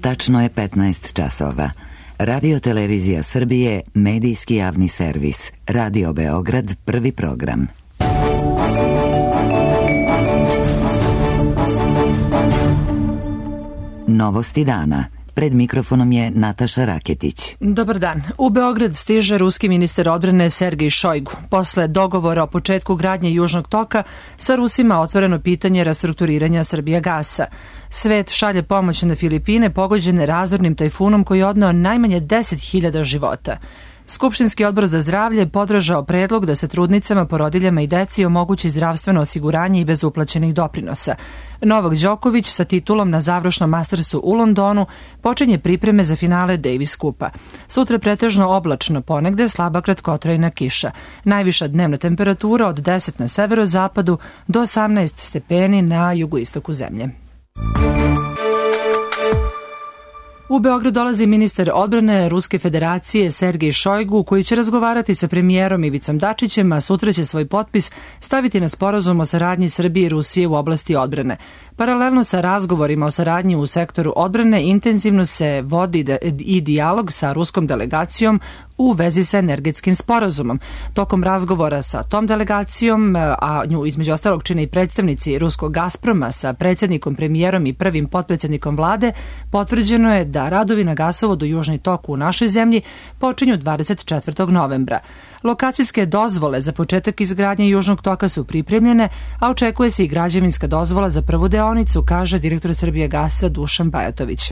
Tačno je 15 časova. Radio Televizija Srbije, medijski javni servis. Radio Beograd, prvi program. Novosti dana. Pred mikrofonom je Nataša Raketić. Dobar dan. U Beograd stiže ruski ministar odbrane Sergej Šojgu. Posle dogovora o početku gradnje Južnog toka, sa Rusima otvoreno pitanje restrukturiranja Srbijagasa. Svet šalje pomoć na Filipine pogođene razornim tajfunom koji je odneo najmanje 10.000 života. Skupštinski odbor za zdravlje podržao predlog da se trudnicama, porodiljama i deci omogući zdravstveno osiguranje i bez uplaćenih doprinosa. Novak Đoković sa titulom na završnom Mastersu u Londonu počinje pripreme za finale Davis Kupa. Sutra pretežno oblačno, ponegde slaba kratkotrajna kiša. Najviša dnevna temperatura od 10 na severozapadu do 18 stepeni na jugoistoku zemlje. U Beograd dolazi ministar odbrane Ruske federacije Sergej Šojgu, koji će razgovarati sa premijerom Ivicom Dačićem, a sutra će svoj potpis staviti na sporazum o saradnji Srbije i Rusije u oblasti odbrane. Paralelno sa razgovorima o saradnji u sektoru odbrane, intenzivno se vodi i dijalog sa ruskom delegacijom u vezi sa energetskim sporazumom. Tokom razgovora sa tom delegacijom, a nju između ostalog čine i predstavnici ruskog Gazproma sa predsjednikom, premijerom i prvim potpredsjednikom vlade, potvrđeno je da radovi na gasovodu Južni tok u našoj zemlji počinju 24. novembra. Lokacijske dozvole za početak izgradnje Južnog toka su pripremljene, a očekuje se i građevinska dozvola za prvu deonicu, kaže direktor Srbijagasa Dušan Bajatović.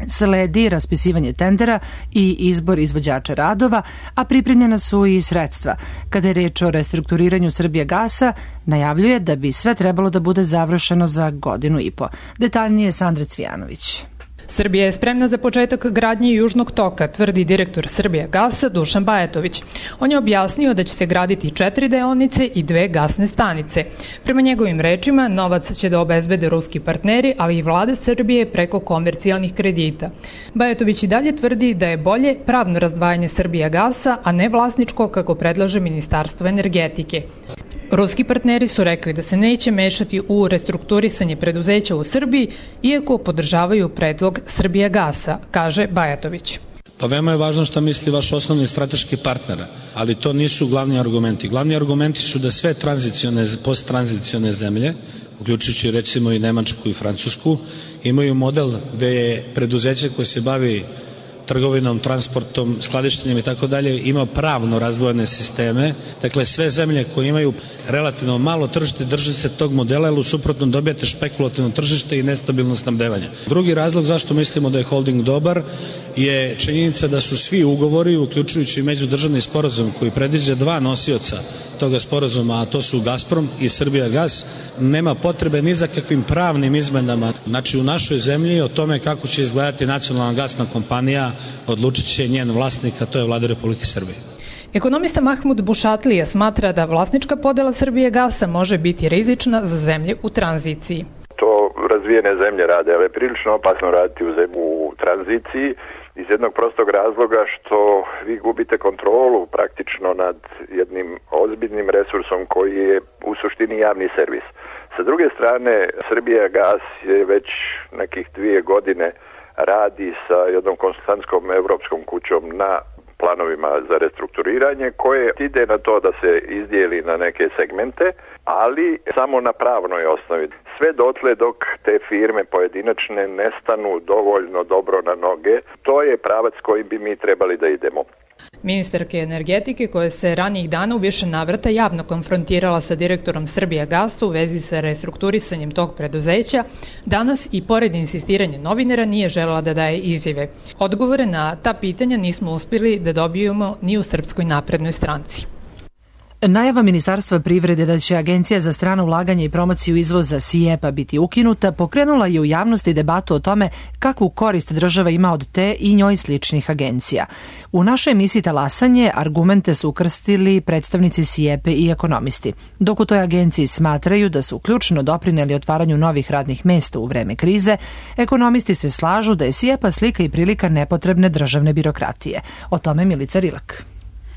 Sledi raspisivanje tendera i izbor izvođača radova, a pripremljena su i sredstva. Kada je reč o restrukturiranju Srbijagasa, najavljuje da bi sve trebalo da bude završeno za godinu i po. Detaljnije Sandra Cvijanović. Srbija je spremna za početak gradnje Južnog toka, tvrdi direktor Srbijagasa Dušan Bajatović. On je objasnio da će se graditi 4 deonice i 2 gasne stanice. Prema njegovim rečima, novac će da obezbede ruski partneri, ali i vlada Srbije preko komercijalnih kredita. Bajatović i dalje tvrdi da je bolje pravno razdvajanje Srbijagasa, a ne vlasničko kako predlaže Ministarstvo energetike. Ruski partneri su rekli da se neće mešati u restrukturisanje preduzeća u Srbiji, iako podržavaju predlog Srbijagasa, kaže Bajatović. Pa veoma je važno šta misli vaš osnovni strateški partner, ali to nisu glavni argumenti. Glavni argumenti su da sve posttranzicione zemlje, uključujući recimo i Nemačku i Francusku, imaju model gde je preduzeće koje se bavi trgovinom, transportom, skladištenjem i tako dalje, ima pravno razdvojene sisteme. Dakle, sve zemlje koje imaju relativno malo tržište drže se tog modela, jer u suprotnom dobijate špekulativno tržište i nestabilno snabdevanje. Drugi razlog zašto mislimo da je holding dobar je činjenica da su svi ugovori, uključujući međudržavni sporazum koji predviđa 2 nosioca toga sporazuma, a to su Gazprom i Srbijagas, nema potrebe ni za kakvim pravnim izmenama. Znači, u našoj zemlji o tome kako će izgledati nacionalna gasna kompanija odlučit će njen vlasnik, a to je Vlada Republike Srbije. Ekonomista Mahmud Bušatlija smatra da vlasnička podela Srbijagasa može biti rizična za zemlje u tranziciji. To razvijene zemlje rade, ali je prilično opasno raditi u tranziciji iz jednog prostog razloga što vi gubite kontrolu praktično nad jednim ozbiljnim resursom koji je u suštini javni servis. Sa druge strane, Srbijagas je već nekih 2 godine radi sa jednom konsultantskom evropskom kućom na planovima za restrukturiranje koje ide na to da se izdijeli na neke segmente, ali samo na pravnoj osnovi. Sve dotle dok te firme pojedinačne ne stanu dovoljno dobro na noge, to je pravac kojim bi mi trebali da idemo. Ministarka energetike, koja se ranijih dana u više navrata javno konfrontirala sa direktorom Srbijagasa u vezi sa restrukturisanjem tog preduzeća, danas i pored insistiranja novinara nije želela da daje izjave. Odgovore na ta pitanja nismo uspjeli da dobijemo ni u Srpskoj naprednoj stranci. Najava Ministarstva privrede da će Agencija za strano ulaganje i promociju izvoza SIEPA biti ukinuta pokrenula je u javnosti debatu o tome kakvu korist država ima od te i njoj sličnih agencija. U našoj emisiji Talasanje argumente su ukrstili predstavnici SIEPA i ekonomisti. Dok u toj agenciji smatraju da su ključno doprineli otvaranju novih radnih mesta u vreme krize, ekonomisti se slažu da je SIEPA slika i prilika nepotrebne državne birokratije. O tome Milica Rilak.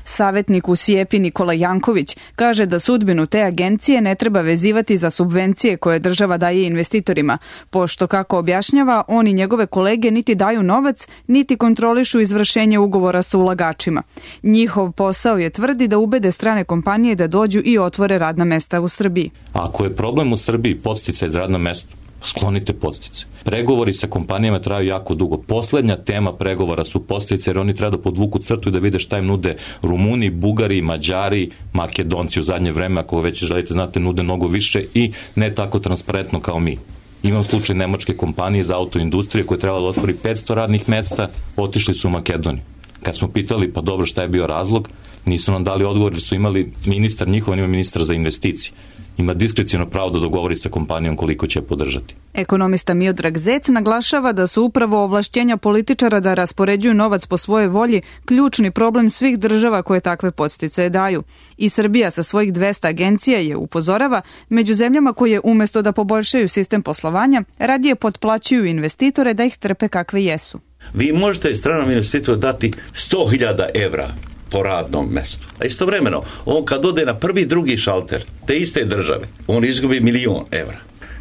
Savetnik u SIEPI Nikola Janković kaže da sudbinu te agencije ne treba vezivati za subvencije koje država daje investitorima, pošto, kako objašnjava, on i njegove kolege niti daju novac, niti kontrolišu izvršenje ugovora sa ulagačima. Njihov posao je, tvrdi, da ubede strane kompanije da dođu i otvore radna mesta u Srbiji. Ako je problem u Srbiji podsticaj za radno mesto, sklonite podstice. Pregovori sa kompanijama traju jako dugo. Poslednja tema pregovora su podstice, jer oni treba da podvuku crtu i da vide šta im nude Rumuni, Bugari, Mađari, Makedonci u zadnje vreme, ako već želite znate, nude mnogo više i ne tako transparentno kao mi. Imam slučaj nemačke kompanije za autoindustrije koje trebalo da otvori 500 radnih mesta, otišli su u Makedoniju. Kad smo pitali, pa dobro, šta je bio razlog, nisu nam dali odgovor, jer su imali ministar njihov, ima ministar za investicije. Ima diskrecijalno pravo da dogovori sa kompanijom koliko će podržati. Ekonomista Miodrag Zec naglašava da su upravo ovlašćenja političara da raspoređuju novac po svojoj volji ključni problem svih država koje takve podsticaje daju. I Srbija sa svojih 200 agencija je, upozorava, među zemljama koje umesto da poboljšaju sistem poslovanja, radije potplaćuju investitore da ih trpe kakve jesu. Vi možete stranom investitoru dati 100.000 evra po radnom mestu. A istovremeno, on kad ode na prvi, drugi šalter te iste države, on izgubi 1.000.000 evra.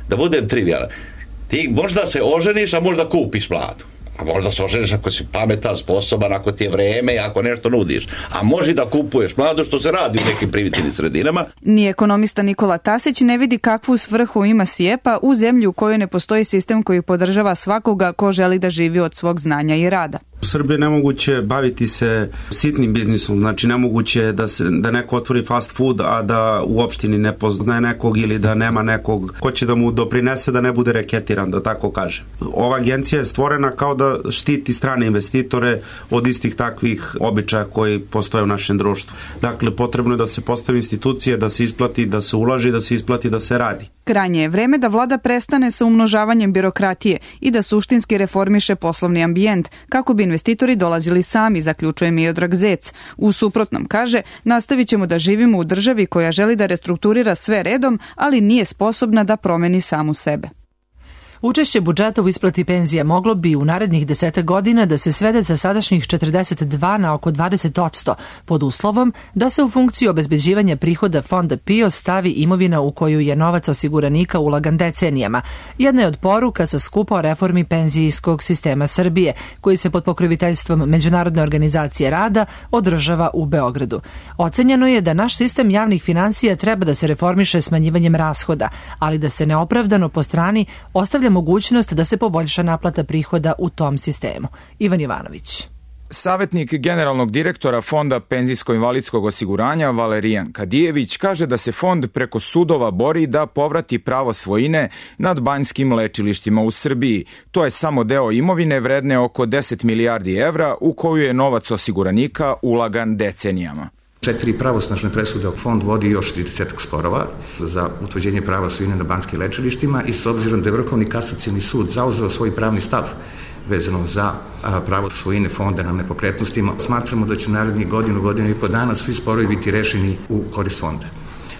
Da budem trivijalan, ti možda se oženiš, a možda kupiš mladu. A možda se oženiš ako si pametan, sposoban, ako ti je vreme, ako nešto nudiš. A može da kupuješ mladu, što se radi u nekim primitivnim sredinama. Ni ekonomista Nikola Tasić ne vidi kakvu svrhu ima SIEPA u zemlji u kojoj ne postoji sistem koji podržava svakoga ko želi da živi od svog znanja i rada. U Srbiji je nemoguće baviti se sitnim biznisom, znači nemoguće je da neko otvori fast food, a da u opštini ne poznaje nekog ili da nema nekog ko će da mu doprinese da ne bude reketiran, da tako kažem. Ova agencija je stvorena kao da štiti strane investitore od istih takvih običaja koji postoje u našem društvu. Dakle, potrebno je da se postavi institucije, da se isplati, da se ulaži, da se isplati, da se radi. Krajnje je vreme da vlada prestane sa umnožavanjem birokratije i da suštinski reformiše poslovni ambijent, kako bi investitori dolazili sami, zaključuje Miodrag Zec. U suprotnom, kaže, nastavit ćemo da živimo u državi koja želi da restrukturira sve redom, ali nije sposobna da promeni samu sebe. Učešće budžeta u isplati penzija moglo bi u narednih 10 godina da se svede sa sadašnjih 42 na oko 20%, pod uslovom da se u funkciju obezbeđivanja prihoda fonda PIO stavi imovina u koju je novac osiguranika ulagan decenijama. Jedna je od poruka sa skupa o reformi penzijskog sistema Srbije, koji se pod pokroviteljstvom Međunarodne organizacije rada održava u Beogradu. Ocenjeno je da naš sistem javnih finansija treba da se reformiše smanjivanjem rashoda, ali da se neopravdano po strani ostavlja mogućnost da se poboljša naplata prihoda u tom sistemu. Ivan Jovanović. Savetnik generalnog direktora Fonda penzijsko-invalidskog osiguranja Valerijan Kadijević kaže da se fond preko sudova bori da povrati pravo svojine nad banjskim lečilištima u Srbiji. To je samo deo imovine vredne oko 10 milijardi evra u koju je novac osiguranika ulagan decenijama. 4 pravosnažne presude fond vodi još 30 sporova za utvrđenje prava svojine na banjskim lečilištima i s obzirom da je Vrhovni kasacioni sud zauzeo svoj pravni stav vezano za pravo svojine fonda na nepokretnostima, smatramo da će u narednih godinu i po dana svi sporovi biti rešeni u korist fonda.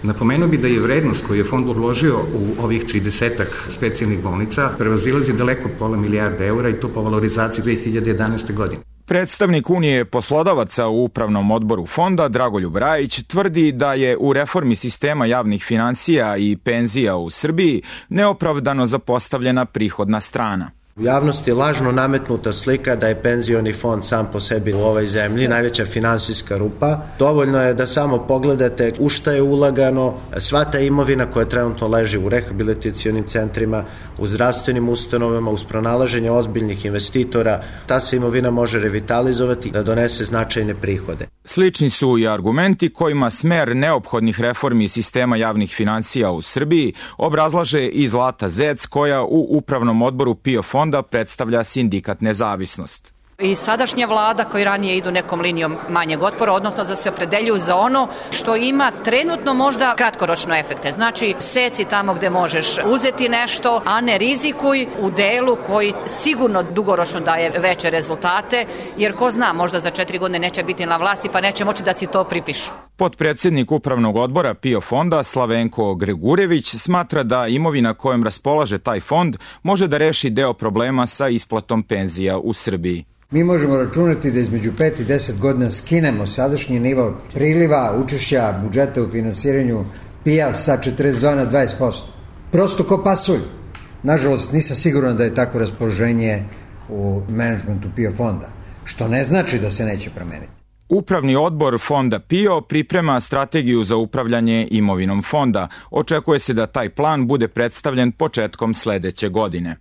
Napomenuo bi da je vrednost koju je fond odložio u ovih 30 specijalnih bolnica prevazilazi daleko pola milijarde eura i to po valorizaciji 2011. godine. Predstavnik Unije poslodavaca u upravnom odboru fonda, Dragoljub Rajić, tvrdi da je u reformi sistema javnih finansija i penzija u Srbiji neopravdano zapostavljena prihodna strana. U javnosti je lažno nametnuta slika da je penzioni fond sam po sebi u ovoj zemlji najveća finansijska rupa. Dovoljno je da samo pogledate u šta je ulagano, sva ta imovina koja trenutno leži u rehabilitacionim centrima, u zdravstvenim ustanovama, uz pronalaženje ozbiljnih investitora, ta se imovina može revitalizovati da donese značajne prihode. Slični su i argumenti kojima smer neophodnih reformi sistema javnih finansija u Srbiji obrazlaže i Zlata Zec, koja u upravnom odboru PIO fonda predstavlja sindikat Nezavisnost. I sadašnja vlada koji ranije idu nekom linijom manjeg otpora, odnosno da se opredeljuju za ono što ima trenutno možda kratkoročno efekte. Znači, seci tamo gde možeš uzeti nešto, a ne rizikuj u delu koji sigurno dugoročno daje veće rezultate, jer ko zna, možda za 4 godine neće biti na vlasti pa neće moći da si to pripišu. Potpredsjednik upravnog odbora PIO fonda Slavenko Gregurević smatra da imovina kojom raspolaže taj fond može da reši deo problema sa isplatom penzija u Srbiji. Mi možemo računati da između 5 i 10 godina skinemo sadašnji nivo priliva učešća budžeta u finansiranju PIO sa 42 na 20%. Prosto ko pasulj. Nažalost, nisam siguran da je tako raspoloženje u menadžmentu PIO fonda, što ne znači da se neće promeniti. Upravni odbor fonda PIO priprema strategiju za upravljanje imovinom fonda. Očekuje se da taj plan bude predstavljen početkom sledeće godine.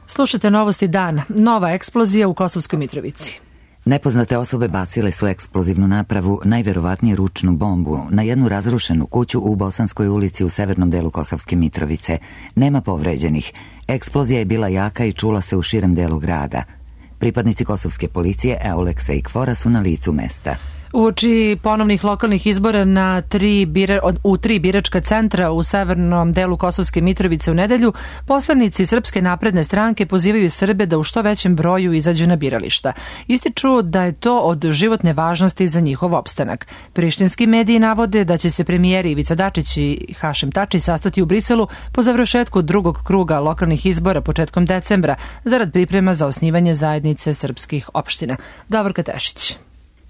Slušajte novosti dana. Nova eksplozija u Kosovskoj Mitrovici. Nepoznate osobe bacile su eksplozivnu napravu, najverovatnije ručnu bombu, na jednu razrušenu kuću u Bosanskoj ulici u severnom delu Kosovske Mitrovice. Nema povređenih. Eksplozija je bila jaka i čula se u širem delu grada. Pripadnici kosovske policije Euleksa i KFOR-a su na licu mesta. Uoči ponovnih lokalnih izbora u 3 biračka centra u severnom delu Kosovske Mitrovice u nedelju, poslanici Srpske napredne stranke pozivaju Srbe da u što većem broju izađu na birališta. Ističu da je to od životne važnosti za njihov opstanak. Prištinski mediji navode da će se premijeri Ivica Dačić i Hašim Tači sastati u Briselu po završetku drugog kruga lokalnih izbora početkom decembra zarad priprema za osnivanje zajednice srpskih opština. Davorka Tešić.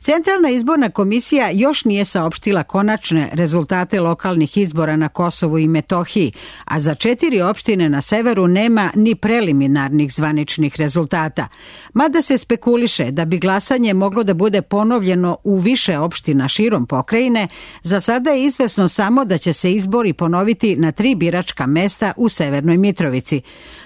Centralna izborna komisija još nije saopštila konačne rezultate lokalnih izbora na Kosovu i Metohiji, a za 4 opštine na severu nema ni preliminarnih zvaničnih rezultata. Mada se spekuliše da bi glasanje moglo da bude ponovljeno u više opština širom pokrajine, za sada je izvesno samo da će se izbori ponoviti na 3 biračka mesta u Severnoj Mitrovici.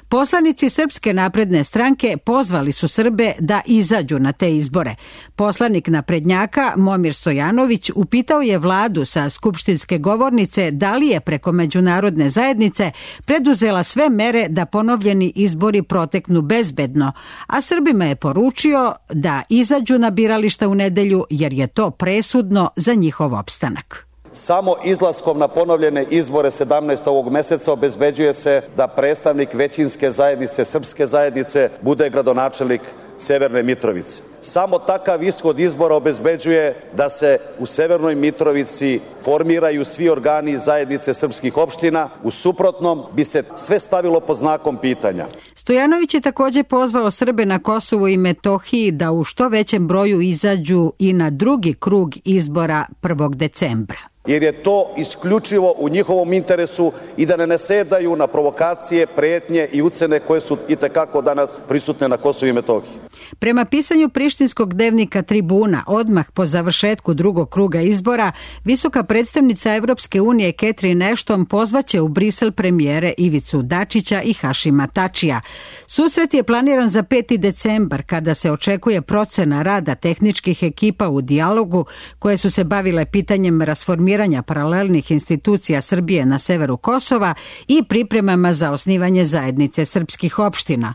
Poslanici Srpske napredne stranke pozvali su Srbe da izađu na te izbore. Poslanik naprednjaka Momir Stojanović upitao je vladu sa skupštinske govornice da li je preko međunarodne zajednice preduzela sve mere da ponovljeni izbori proteknu bezbedno, a Srbima je poručio da izađu na birališta u nedelju jer je to presudno za njihov opstanak. Samo izlaskom na ponovljene izbore 17. ovog meseca obezbeđuje se da predstavnik većinske zajednice, srpske zajednice, bude gradonačelnik Severne Mitrovice. Samo takav ishod izbora obezbeđuje da se u Severnoj Mitrovici formiraju svi organi zajednice srpskih opština, u suprotnom bi se sve stavilo pod znakom pitanja. Stojanović je također pozvao Srbe na Kosovu i Metohiji da u što većem broju izađu i na drugi krug izbora 1. decembra. Jer je to isključivo u njihovom interesu i da ne nasedaju na provokacije, pretnje i ucene koje su itekako danas prisutne na Kosovu i Metohiji. Prema pisanju prištinskog dnevnika Tribuna, odmah po završetku drugog kruga izbora, visoka predstavnica Evropske unije Catherine Ashton pozvaće u Brisel premijere Ivicu Dačića i Hašima Tačija. Susret je planiran za 5. decembar, kada se očekuje procena rada tehničkih ekipa u dijalogu koje su se bavile pitanjem rasformiranja paralelnih institucija Srbije na severu Kosova i pripremama za osnivanje zajednice srpskih opština.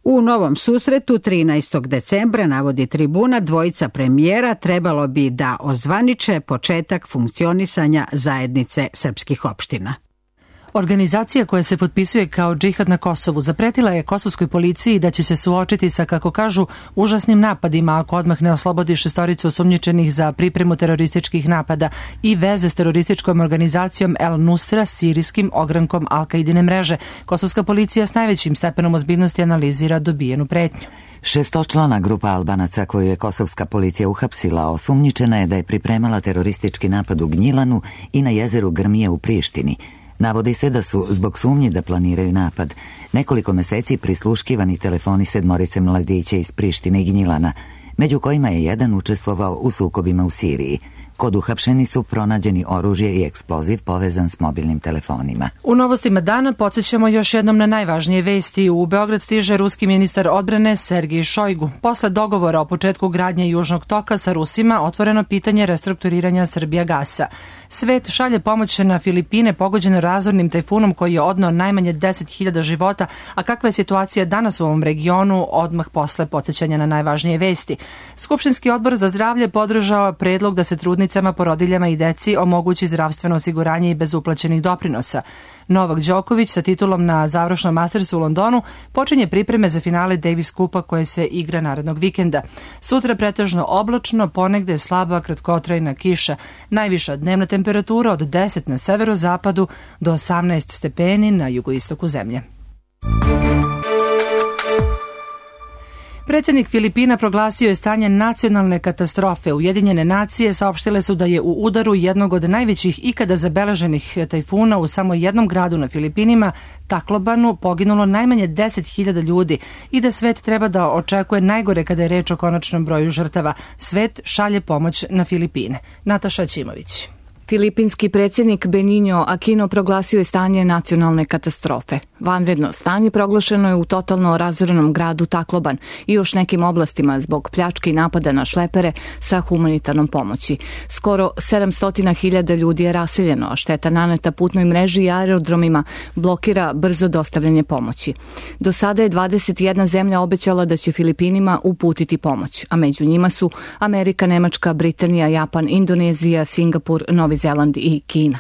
U novom susretu 13. decembra, navodi Tribuna, dvojica premijera trebalo bi da ozvaniče početak funkcionisanja zajednice srpskih opština. Organizacija koja se potpisuje kao džihad na Kosovu zapretila je kosovskoj policiji da će se suočiti sa, kako kažu, užasnim napadima ako odmah ne oslobodi 6 osumnjičenih za pripremu terorističkih napada i veze s terorističkom organizacijom El Nusra, sirijskim ogrankom Al-Kaidine mreže. Kosovska policija s najvećim stepenom ozbiljnosti analizira dobijenu pretnju. 6-člana grupa Albanaca koju je kosovska policija uhapsila osumnjičena je da je pripremala teroristički napad u Gnjilanu i na jezeru Grmije u Prištini. Navodi se da su, zbog sumnje da planiraju napad, nekoliko meseci prisluškivani telefoni 7 mladića iz Prištine i Gnjilana, među kojima je jedan učestvovao u sukobima u Siriji. Kod uhapšeni su pronađeni oružje i eksploziv povezan s mobilnim telefonima. U novostima dana podsjećamo još jednom na najvažnije vesti. U Beograd stiže ruski ministar odbrane Sergej Šojgu. Posle dogovora o početku gradnje Južnog toka sa Rusima otvoreno pitanje restrukturiranja Srbijagasa. Svet šalje pomoć na Filipine pogođene razornim tajfunom koji je odneo najmanje 10.000 života, a kakva je situacija danas u ovom regionu odmah posle podsjećanja na najvažnije vesti. Skupštinski odbor za zdravlje podržao predlog da se trudnice trudnicama, porodiljama i deci omogući zdravstveno osiguranje i bez uplaćenih doprinosa. Novak Đoković sa titulom na završnom Mastersu u Londonu počinje pripreme za finale Davis Kupa koje se igra narednog vikenda. Sutra pretežno oblačno, ponegde slaba kratkotrajna kiša. Najviša dnevna temperatura od 10 na severozapadu do 18 stepeni na jugoistoku zemlje. Predsjednik Filipina proglasio je stanje nacionalne katastrofe. Ujedinjene nacije saopštile su da je u udaru jednog od najvećih ikada zabeleženih tajfuna u samo jednom gradu na Filipinima, Taclobanu, poginulo najmanje 10.000 ljudi i da svet treba da očekuje najgore kada je reč o konačnom broju žrtava. Svet šalje pomoć na Filipine. Nataša Ćimović. Filipinski predsjednik Benigno Aquino proglasio je stanje nacionalne katastrofe. Vanredno stanje proglašeno je u totalno razorenom gradu Tacloban i još nekim oblastima zbog pljački i napada na šlepere sa humanitarnom pomoći. Skoro 700.000 ljudi je raseljeno, a šteta naneta putnoj mreži i aerodromima blokira brzo dostavljanje pomoći. Do sada je 21 zemlja obećala da će Filipinima uputiti pomoć, a među njima su Amerika, Nemačka, Britanija, Japan, Indonezija, Singapur, Novi Zeland i Kina.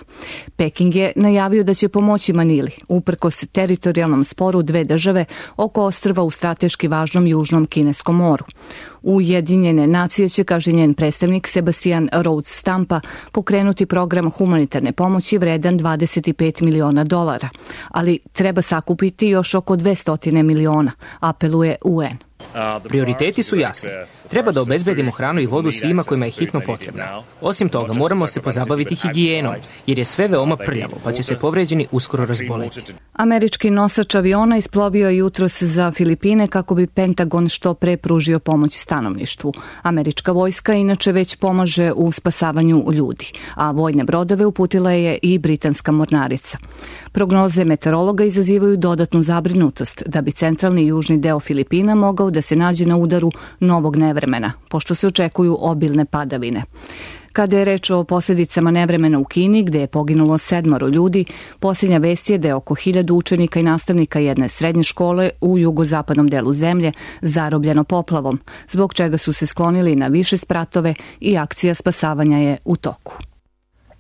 Peking je najavio da će pomoći Manili, uprkos teritorijalnom sporu dve države oko ostrva u strateški važnom južnom kineskom moru. Ujedinjene nacije će, kaže njen predstavnik Sebastian Rhodes Stampa, pokrenuti program humanitarne pomoći vredan $25 miliona, ali treba sakupiti još oko 200 miliona, apeluje UN. Prioriteti su jasni. Treba da obezbedimo hranu i vodu svima kojima je hitno potrebna. Osim toga, moramo se pozabaviti higijenom, jer je sve veoma prljavo, pa će se povređeni uskoro razboleti. Američki nosač aviona isplovio je jutros za Filipine kako bi Pentagon što pre pružio pomoć stanovništvu. Američka vojska inače već pomaže u spasavanju ljudi, a vojne brodove uputila je i britanska mornarica. Prognoze meteorologa izazivaju dodatnu zabrinutost da bi centralni i južni deo Filipina mogao da se nađe na udaru novog nevremena, pošto se očekuju obilne padavine. Kada je reč o posljedicama nevremena u Kini, gde je poginulo 7 ljudi, posljednja vest je da je oko 1000 učenika i nastavnika jedne srednje škole u jugozapadnom delu zemlje zarobljeno poplavom, zbog čega su se sklonili na više spratove i akcija spasavanja je u toku.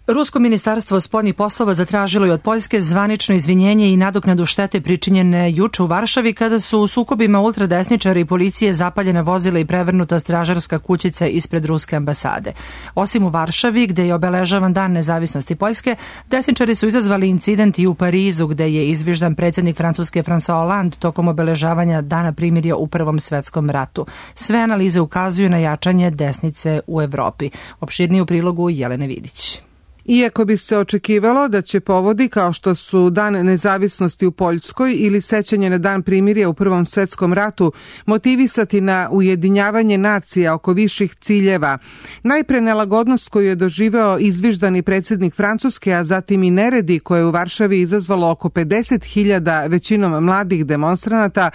Rusko ministarstvo spoljnih poslova zatražilo je od Poljske zvanično izvinjenje i nadoknadu štete pričinjene juče u Varšavi kada su u sukobima ultradesničari i policije zapaljena vozila i prevrnuta stražarska kućica ispred ruske ambasade. Osim u Varšavi, gde je obeležavan dan nezavisnosti Poljske, desničari su izazvali incident i u Parizu, gde je izviždan predsjednik Francuske François Hollande tokom obeležavanja dana primirja u Prvom svetskom ratu. Sve analize ukazuju na jačanje desnice u Evropi. Opširnije u prilogu Jelene Vidić. Iako bi se očekivalo da će povodi kao što su Dan nezavisnosti u Poljskoj ili sećanje na Dan primirja u Prvom svetskom ratu motivisati na ujedinjavanje nacija oko viših ciljeva, najpre nelagodnost koju je doživeo izviždani predsjednik Francuske, a zatim i neredi koje je u Varšavi izazvalo oko 50.000 većinom mladih demonstranata,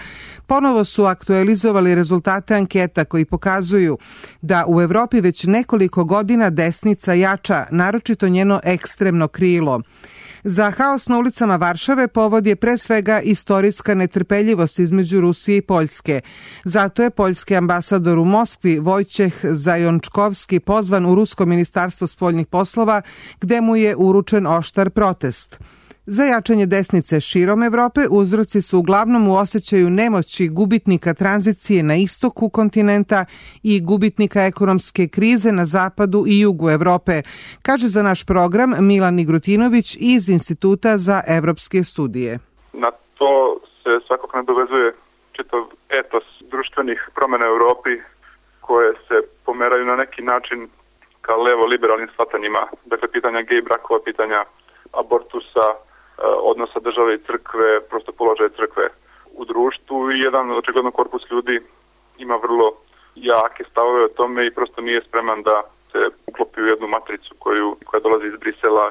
ponovo su aktualizovali rezultate anketa koji pokazuju da u Evropi već nekoliko godina desnica jača, naročito njeno ekstremno krilo. Za haos na ulicama Varšave povod je pre svega istorijska netrpeljivost između Rusije i Poljske. Zato je poljski ambasador u Moskvi Vojčeh Zajončkovski pozvan u Rusko ministarstvo spoljnih poslova, gde mu je uručen oštar protest. Za jačanje desnice širom Evrope uzroci su uglavnom u osjećaju nemoći gubitnika tranzicije na istoku kontinenta i gubitnika ekonomske krize na zapadu i jugu Evrope, kaže za naš program Milan Igrutinović iz Instituta za evropske studije. Na to se svakako nadovezuje čitav etos društvenih promjena u Evropi koje se pomeraju na neki način ka levo-liberalnim shvatanjima. Dakle, pitanja gej brakova, pitanja abortusa, odnosa države i crkve, prosto položaje crkve u društvu i jedan očigledno korpus ljudi ima vrlo jake stavove o tome i prosto nije spreman da se uklopi u jednu matricu koja dolazi iz Brisela,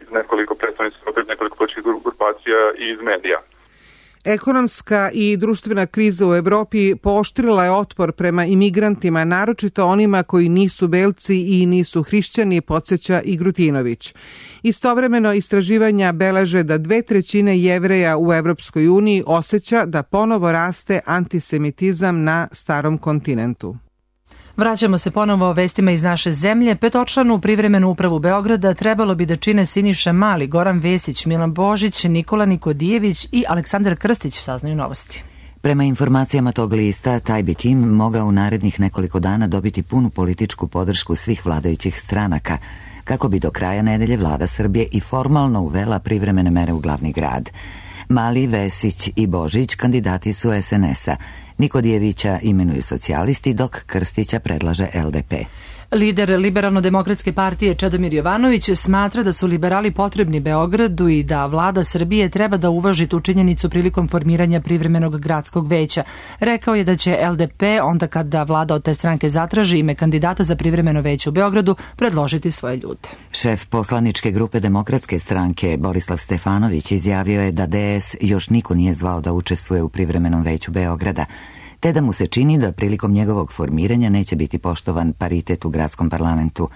iz nekoliko predstavnica, nekoliko političkih grupacija i iz medija. Ekonomska i društvena kriza u Evropi pooštrila je otpor prema imigrantima, naročito onima koji nisu belci i nisu hrišćani, podsjeća Igrutinović. Istovremeno istraživanja beleže da 2/3 Jevreja u Evropskoj uniji osjeća da ponovo raste antisemitizam na starom kontinentu. Vraćamo se ponovo o vestima iz naše zemlje. Petočlanu privremenu upravu Beograda trebalo bi da čine Siniša Mali, Goran Vesić, Milan Božić, Nikola Nikodijević i Aleksandar Krstić, saznaju Novosti. Prema informacijama tog lista, taj bi tim mogao u narednih nekoliko dana dobiti punu političku podršku svih vladajućih stranaka, kako bi do kraja nedelje vlada Srbije i formalno uvela privremene mere u glavni grad. Mali, Vesić i Božić kandidati su SNS-a. Nikodijevića imenuju socijalisti, dok Krstića predlaže LDP. Lider Liberalno-demokratske partije Čedomir Jovanović smatra da su liberali potrebni Beogradu i da vlada Srbije treba da uvaži tu činjenicu prilikom formiranja privremenog gradskog veća. Rekao je da će LDP, onda kada vlada od te stranke zatraži ime kandidata za privremeno veće u Beogradu, predložiti svoje ljude. Šef poslaničke grupe Demokratske stranke Borislav Stefanović izjavio je da DS još niko nije zvao da učestvuje u privremenom veću Beograda, te da mu se čini da prilikom njegovog formiranja neće biti poštovan paritet u gradskom parlamentu.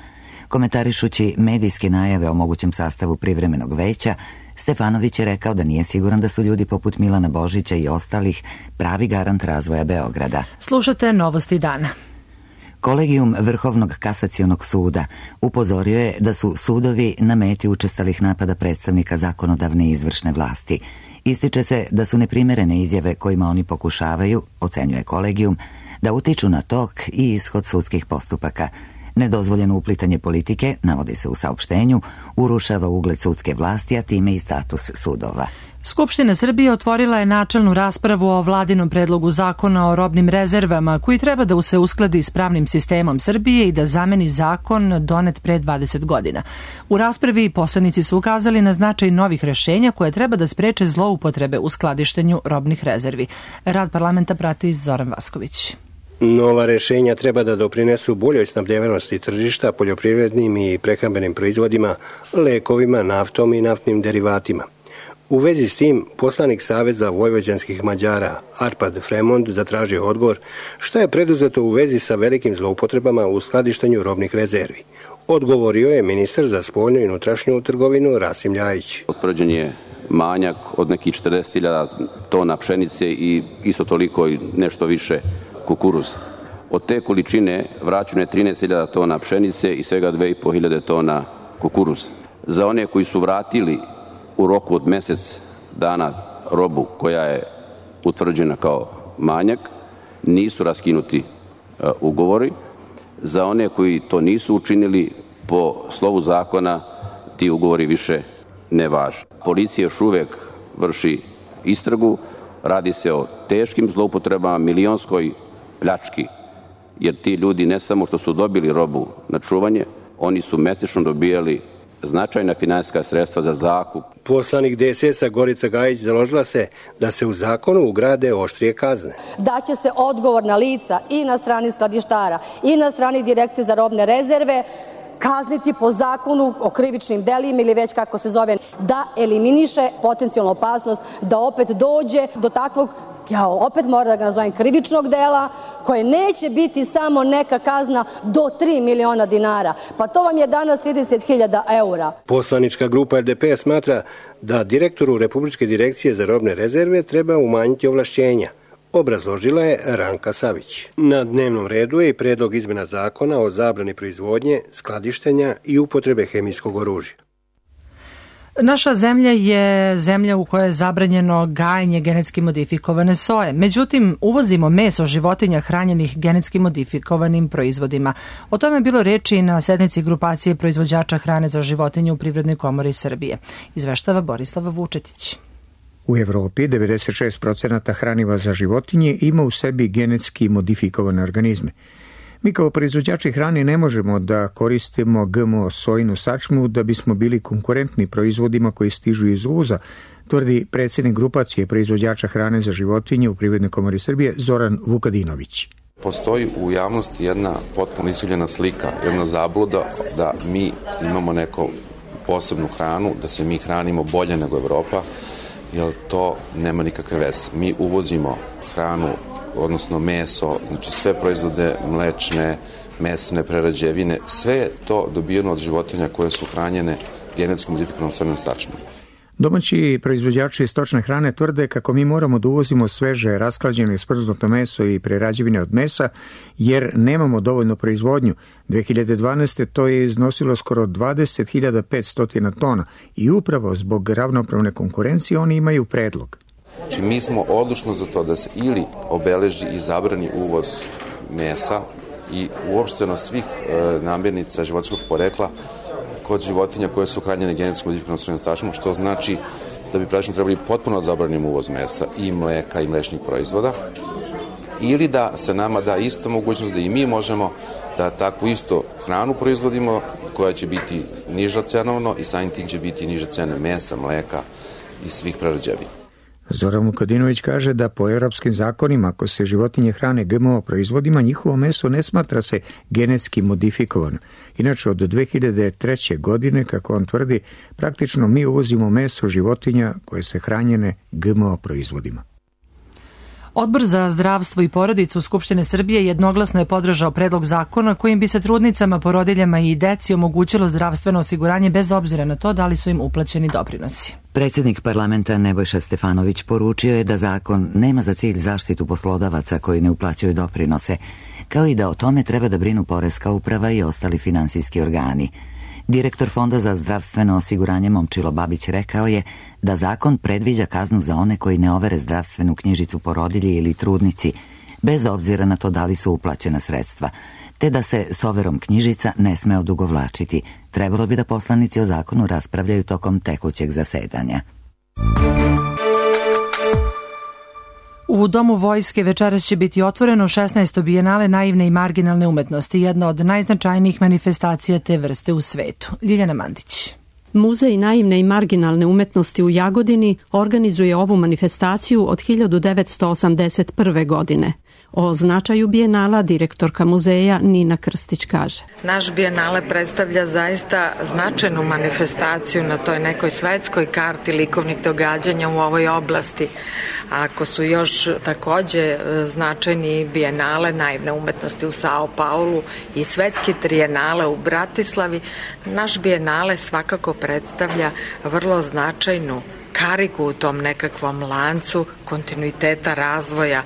Komentarišući medijske najave o mogućem sastavu privremenog veća, Stefanović je rekao da nije siguran da su ljudi poput Milana Božića i ostalih pravi garant razvoja Beograda. Slušate Novosti dana. Kolegijum Vrhovnog kasacionog suda upozorio je da su sudovi na meti učestalih napada predstavnika zakonodavne i izvršne vlasti. Ističe se da su neprimerene izjave kojima oni pokušavaju, ocenjuje kolegijum, da utiču na tok i ishod sudskih postupaka. Nedozvoljeno uplitanje politike, navodi se u saopštenju, urušava ugled sudske vlasti, a time i status sudova. Skupština Srbije otvorila je načelnu raspravu o vladinom predlogu zakona o robnim rezervama, koji treba da se uskladi s pravnim sistemom Srbije i da zameni zakon donet pre 20 godina. U raspravi poslanici su ukazali na značaj novih rešenja koje treba da spreče zloupotrebe u skladištenju robnih rezervi. Rad parlamenta prati Zoran Vasković. Nova rešenja treba da doprinesu boljoj snabdevenosti tržišta poljoprivrednim i prehrambenim proizvodima, lekovima, naftom i naftnim derivatima. U vezi s tim, poslanik Saveza vojvođanskih Mađara Arpad Fremond zatražio odgovor šta je preduzeto u vezi sa velikim zloupotrebama u skladištenju robnih rezervi. Odgovorio je ministar za spoljnu i unutrašnju trgovinu Rasim Ljajić. Utvrđen je manjak od nekih 40.000 tona pšenice i isto toliko i nešto više kukuruz. Od te količine vraćeno je 13.000 tona pšenice i svega 2.500 tona kukuruz. Za one koji su vratili u roku od mjesec dana robu koja je utvrđena kao manjak, nisu raskinuti ugovori. Za one koji to nisu učinili, po slovu zakona ti ugovori više ne važe. Policija još uvek vrši istragu, radi se o teškim zloupotrebama, milionskoj pljački, jer ti ljudi ne samo što su dobili robu na čuvanje, oni su mesečno dobijali značajna finansijska sredstva za zakup. Poslanik DSS-a Gorica Gajić založila se da se u zakonu ugrade oštrije kazne. Da će se odgovorna lica i na strani skladištara i na strani Direkcije za robne rezerve kazniti po zakonu o krivičnim delima ili već kako se zove, da eliminiše potencijalnu opasnost da opet dođe do takvog, ja opet moram da ga nazovem, krivičnog dela, koje neće biti samo neka kazna do 3 miliona dinara. Pa to vam je danas 30.000 eura. Poslanička grupa LDP smatra da direktoru Republičke direkcije za robne rezerve treba umanjiti ovlašćenja. Obrazložila je Ranka Savić. Na dnevnom redu je i predlog izmena zakona o zabrani proizvodnje, skladištenja i upotrebe hemijskog oružja. Naša zemlja je zemlja u kojoj je zabranjeno gajenje genetski modifikovane soje. Međutim, uvozimo meso životinja hranjenih genetski modifikovanim proizvodima. O tome je bilo reči i na sednici grupacije proizvođača hrane za životinje u Privrednoj komori Srbije. Izveštava Borislav Vučetić. U Evropi 96% hraniva za životinje ima u sebi genetski modifikovane organizme. Mi kao proizvođači hrane ne možemo da koristimo GMO sojinu sačmu da bismo bili konkurentni proizvodima koji stižu iz uvoza, tvrdi predsjednik grupacije proizvođača hrane za životinje u Privrednoj komori Srbije Zoran Vukadinović. Postoji u javnosti jedna potpuno iskrivljena slika, jedna zabluda da mi imamo neku posebnu hranu, da se mi hranimo bolje nego Evropa, jer to nema nikakve veze. Mi uvozimo hranu, odnosno meso, znači sve proizvode mlečne, mesne, prerađevine, sve je to dobijeno od životinja koje su hranjene genetski modifikovanom sojnom sačmom. Domaći proizvođači stočne hrane tvrde kako mi moramo da uvozimo sveže, rasklađeno i smrznuto meso i prerađevine od mesa, jer nemamo dovoljno proizvodnju. 2012. to je iznosilo skoro 20.500 tona i upravo zbog ravnopravne konkurencije oni imaju predlog. Znači, mi smo odlučno za to da se ili obeleži i zabrani uvoz mesa i uopšteno svih namirnica životinjskog porekla kod životinja koje su hranjene genetski modifikovanom sojom stašom, što znači da bi praktično trebali potpuno zabranimo uvoz mesa i mleka i mlečnih proizvoda, ili da se nama da ista mogućnost da i mi možemo da takvu isto hranu proizvodimo koja će biti niža cenovno i samim tim će biti niže cene mesa, mleka i svih prerađevina. Zoran Vukadinović kaže da po evropskim zakonima, ako se životinje hrane GMO proizvodima, njihovo meso ne smatra se genetski modifikovano. Inače, od 2003. godine, kako on tvrdi, praktično mi uvozimo meso životinja koje se hranjene GMO proizvodima. Odbor za zdravstvo i porodicu Skupštine Srbije jednoglasno je podržao predlog zakona kojim bi se trudnicama, porodiljama i deci omogućilo zdravstveno osiguranje bez obzira na to da li su im uplaćeni doprinosi. Predsjednik parlamenta Nebojša Stefanović poručio je da zakon nema za cilj zaštitu poslodavaca koji ne uplaćuju doprinose, kao i da o tome treba da brinu poreska uprava i ostali finansijski organi. Direktor Fonda za zdravstveno osiguranje Momčilo Babić rekao je da zakon predviđa kaznu za one koji ne overe zdravstvenu knjižicu porodilji ili trudnici, bez obzira na to da li su uplaćena sredstva, te da se s overom knjižica ne sme odugovlačiti. Trebalo bi da poslanici o zakonu raspravljaju tokom tekućeg zasedanja. U Domu vojske večeras će biti otvoreno 16. bijenale naivne i marginalne umetnosti, jedna od najznačajnijih manifestacija te vrste u svetu. Ljiljana Mandić. Muzej naivne i marginalne umetnosti u Jagodini organizuje ovu manifestaciju od 1981. godine. O značaju bijenala direktorka muzeja Nina Krstić kaže. Naš bijenale predstavlja zaista značajnu manifestaciju na toj nekoj svetskoj karti likovnih događanja u ovoj oblasti. Ako su još takođe značajni bijenale naivne umetnosti u Sao Paulu i svetski trijenale u Bratislavi, naš bijenale svakako predstavlja vrlo značajnu kariku u tom nekakvom lancu kontinuiteta razvoja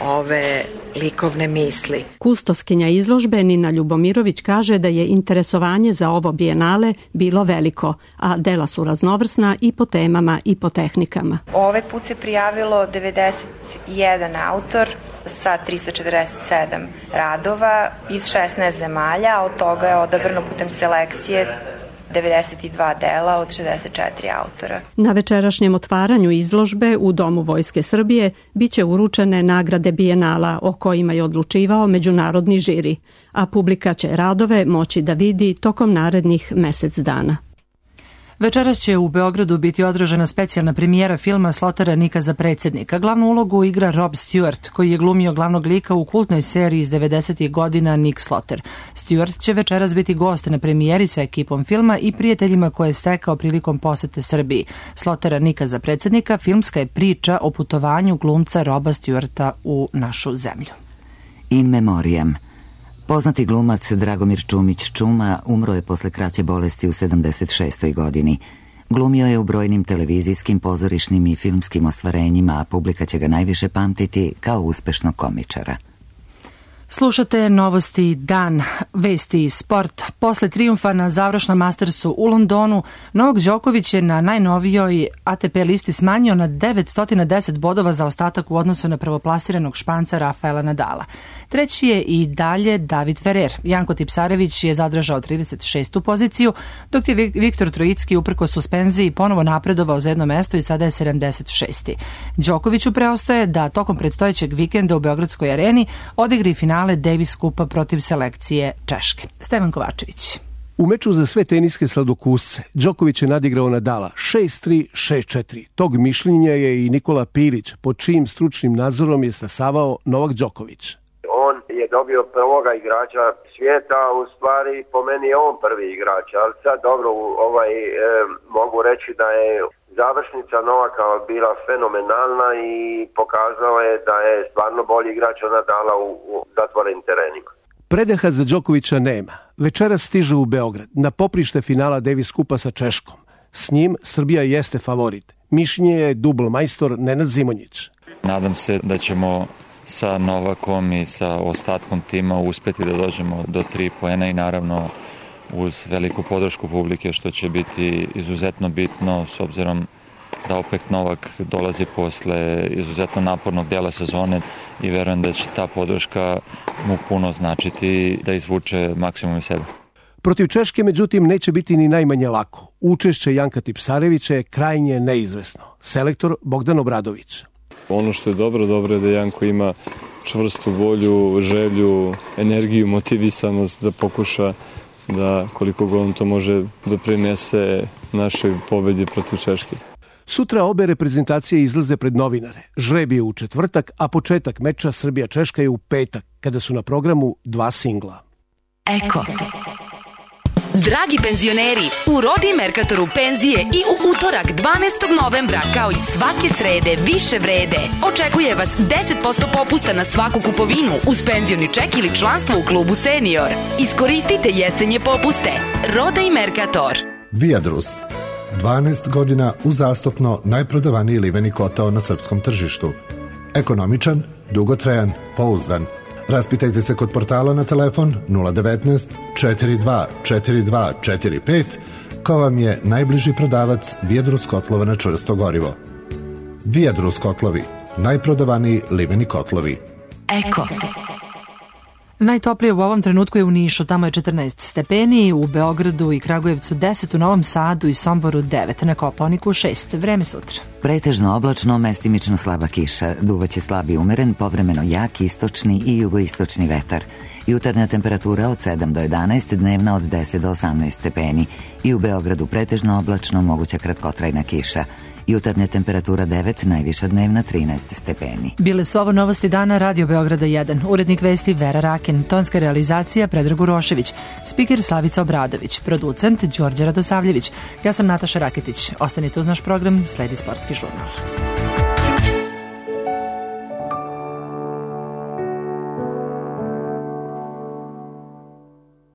ove likovne misli. Kustoskinja izložbe Nina Ljubomirović kaže da je interesovanje za ovo bijenale bilo veliko, a dela su raznovrsna i po temama i po tehnikama. Ovaj put se prijavilo 91 autor sa 347 radova iz 16 zemalja, a od toga je odabrano putem selekcije 92 dela od 64 autora. Na večerašnjem otvaranju izložbe u Domu Vojske Srbije biće uručene nagrade bijenala o kojima je odlučivao međunarodni žiri, a publika će radove moći da vidi tokom narednih mesec dana. Večeras će u Beogradu biti održana specijalna premijera filma Slotera Nika za predsjednika. Glavnu ulogu igra Rob Stewart, koji je glumio glavnog lika u kultnoj seriji iz 90. godina Nick Sloter. Stewart će večeras biti gost na premijeri sa ekipom filma i prijateljima koje je stekao prilikom posete Srbiji. Slotera Nika za predsjednika filmska je priča o putovanju glumca Roba Stewarta u našu zemlju. In memoriam. Poznati glumac Dragomir Čumić Čuma umro je posle kraće bolesti u 76. godini. Glumio je u brojnim televizijskim, pozorišnim i filmskim ostvarenjima, a publika će ga najviše pamtiti kao uspešnog komičara. Slušate Novosti dan, vesti i sport. Posle trijumfa na završnom Mastersu u Londonu, Novak Đoković je na najnovijoj ATP listi smanjio na 910 bodova za ostatak u odnosu na prvoplasiranog Španca Rafaela Nadala. Treći je i dalje David Ferrer. Janko Tipsarević je zadržao 36. poziciju, dok je Viktor Trojicki uprko suspenziji ponovo napredovao za jedno mesto i sada je 76. Đokoviću preostaje da tokom predstojećeg vikenda u Beogradskoj areni odigri finale Davis Kupa protiv selekcije Češke. Stevan Kovačević. U meču za sve teniske sladokusce Đoković je nadigrao Nadala 6-3, 6-4. Tog mišljenja je i Nikola Pilić, pod čijim stručnim nadzorom je stasavao Novak Đoković. On je dobio prvoga igrača svijeta, u stvari po meni je on prvi igrač, ali sad dobro, mogu reći da je završnica Novaka bila fenomenalna i pokazao je da je stvarno bolji igrač od Nadala u zatvorenim terenima. Predaha za Đokovića nema. Večeras stiže u Beograd na poprište finala Davis Kupa sa Češkom. S njim Srbija jeste favorit. Mišljenje je dubl majstor Nenad Zimonjić. Nadam se da ćemo sa Novakom i sa ostatkom tima uspeti da dođemo do 3 poena i naravno uz veliku podršku publike, što će biti izuzetno bitno s obzirom da opet Novak dolazi posle izuzetno napornog dela sezone i verujem da će ta podrška mu puno značiti da izvuče maksimum iz sebe. Protiv Češke, međutim, neće biti ni najmanje lako. Učešće Janka Tipsarevića je krajnje neizvesno. Selektor Bogdan Obradović. Ono što je dobro je da Janko ima čvrstu volju, želju, energiju, motivisanost da pokuša da koliko god on to može doprinese našoj pobedi protiv Češke. Sutra obe reprezentacije izlaze pred novinare. Žreb je u četvrtak, a početak meča Srbija-Češka je u petak, kada su na programu 2 singla. Eko. Dragi penzioneri, u Rodi Merkatoru penzije i u utorak 12. novembra, kao i svake srede, više vrede. Očekuje vas 10% popusta na svaku kupovinu uz penzioni ček ili članstvo u klubu Senior. Iskoristite jesenje popuste. Roda i Merkator. Viadrus. 12 godina uzastopno najprodavaniji liveni kotao na srpskom tržištu. Ekonomičan, dugotrajan, pouzdan. Raspitajte se kod portala na telefon 019 42 42 45 ko vam je najbliži prodavac Viadrus kotlova na čvrsto gorivo. Viadrus kotlovi, najprodavaniji liveni kotlovi. Eko. Najtoplije u ovom trenutku je u Nišu, tamo je 14 stepeni, u Beogradu i Kragujevcu 10, u Novom Sadu i Somboru 9, na Kopaoniku 6. Vreme sutra. Pretežno oblačno, mestimično slaba kiša, duvaće slab i umeren, povremeno jak istočni i jugoistočni vetar. Jutarnja temperatura od 7 do 11, dnevna od 10 do 18 stepeni. I u Beogradu pretežno oblačno, moguća kratkotrajna kiša. Jutarnja temperatura 9, najviša dnevna 13 stepeni. Bile su ovo novosti dana Radio Beograda 1. Urednik vesti Vera Rakin, tonska realizacija Predrag Urošević, spiker Slavica Obradović, producent Đorđe Radosavljević. Ja sam Nataša Raketić. Ostanite uz naš program, sledi sportski žurnal.